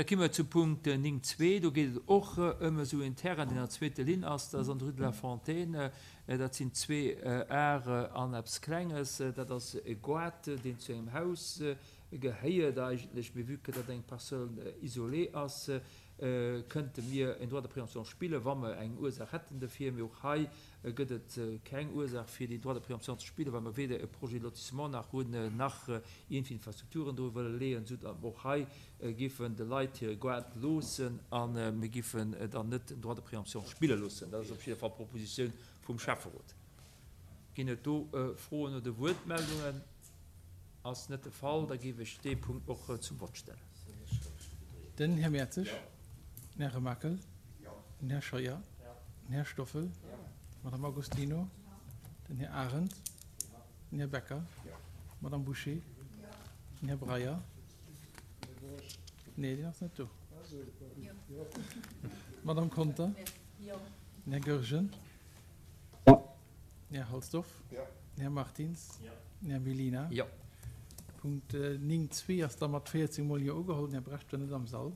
Da komme mer zu Punkt 9.2. Do geet et och ëm esou en Terrain, deen an der zweeter Linn ass. Dat ass an der Rue de la Fontaine. Dat sinn zwee Ar an eppes Klenges. Dat ass e Goart, deen zu engem Haus gehéiert eigentlech. Mee vue que dat eng Parcelle isolée ass, kënnte mir en Droit de préemption spillen, wa mer eng Ursaach hätten dofir. Mee och hei gëtt et keng Ursaach fir deen Droit de préemption ze spillen, well mer weder e Projet de lotissement nach hunn, nach iergendwéi Infrastrukturen dru wëlle leeën, sou datt mer och hei giffen de Leit hire Goart loossen a mir giffen dann net den Droit de préemption spille loossen. Dat ass op jidder Fall d'Propositioun vum Schäfferot. Ginn et do Froen oder Wuertmeldungen? Ass net de Fall, da géif ech dee Punkt och zum Vott stellen. Den Här Mertzig, den Här Remakel, den Här Scheuer, den Här Stoffel, d'Madame Agostino, den Här Arendt, den Här Becker, d'Madame Bouché, den Här Breyer, nee, deen ass net do, d'Madame Conter, den Här Goergen. Den Här Halsdorf. Den Här Martins. Den Här Mellina. Punkt 9.2 ass da mat 14 mol Jo ugeholl. Den Här Brecht war net am Sall.